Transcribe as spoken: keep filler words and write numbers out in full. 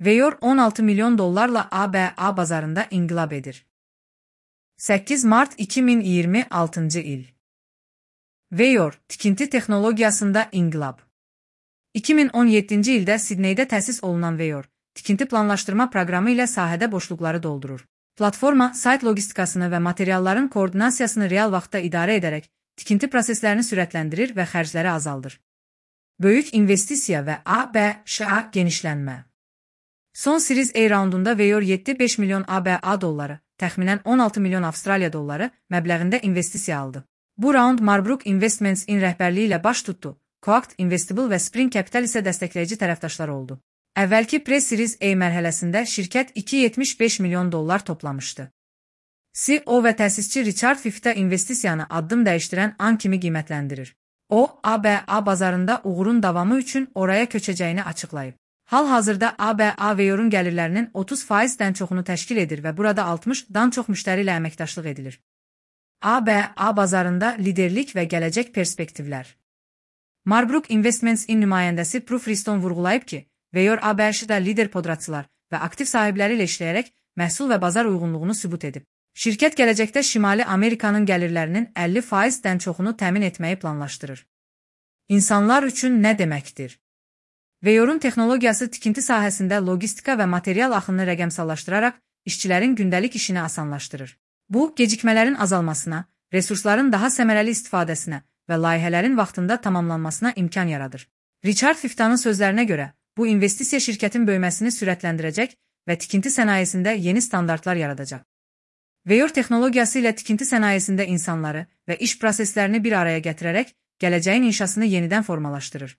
Veyor on altı milyon dollarla A B A bazarında inqilab edir. səkkiz mart iki min iyirmi altıncı il. Veyor, tikinti texnologiyasında inqilab. iki min on yeddinci ildə Sidneydə təsis olunan Veyor, tikinti planlaşdırma proqramı ilə sahədə boşluqları doldurur. Platforma, sayt logistikasını və materialların koordinasiyasını real vaxtda idarə edərək, tikinti proseslərini sürətləndirir və xərcləri azaldır. Böyük investisiya və A B Ş genişlənmə. Son Series A raundunda Veyor yeddi nöqtə beş milyon A B A dolları, təxminən on altı milyon Avstraliya dolları məbləğində investisiya aldı. Bu raund Marbrook Investments-in rəhbərliyi ilə baş tutdu. Coact Investible və Spring Capital isə dəstəkləyici tərəfdaşlar oldu. Əvvəlki Pre-Series A mərhələsində şirkət iki nöqtə yetmiş beş milyon dollar toplamışdı. C E O və təsisçi Richard Fifta investisiyanı addım dəyişdirən an kimi qiymətləndirir. O, A B A bazarında uğurun davamı üçün oraya köçəcəyini açıqlayıb. Hal-hazırda A B A Veyor'un gəlirlərinin otuz faizdən çoxunu təşkil edir və burada altmışdan çox müştəri ilə əməkdaşlıq edilir. A B A bazarında liderlik və gələcək perspektivlər. Marbrook Investments-in nümayəndəsi Proof Riston vurğulayıb ki, Veyor A B A-da lider podratçılar və aktiv sahibləri ilə işləyərək məhsul və bazar uyğunluğunu sübut edib. Şirkət gələcəkdə Şimali Amerikanın gəlirlərinin əlli faizdən çoxunu təmin etməyi planlaşdırır. İnsanlar üçün nə deməkdir? Veyor'un texnologiyası tikinti sahəsində logistika və material axınını rəqəmsallaşdıraraq işçilərin gündəlik işini asanlaşdırır. Bu, gecikmələrin azalmasına, resursların daha səmərəli istifadəsinə və layihələrin vaxtında tamamlanmasına imkan yaradır. Richard Fiftanın sözlərinə görə, bu investisiya şirkətin böyüməsini sürətləndirəcək və tikinti sənayesində yeni standartlar yaradacaq. Veyor texnologiyası ilə tikinti sənayesində insanları və iş proseslərini bir araya gətirərək gələcəyin inşasını yenidən formalaşdırır.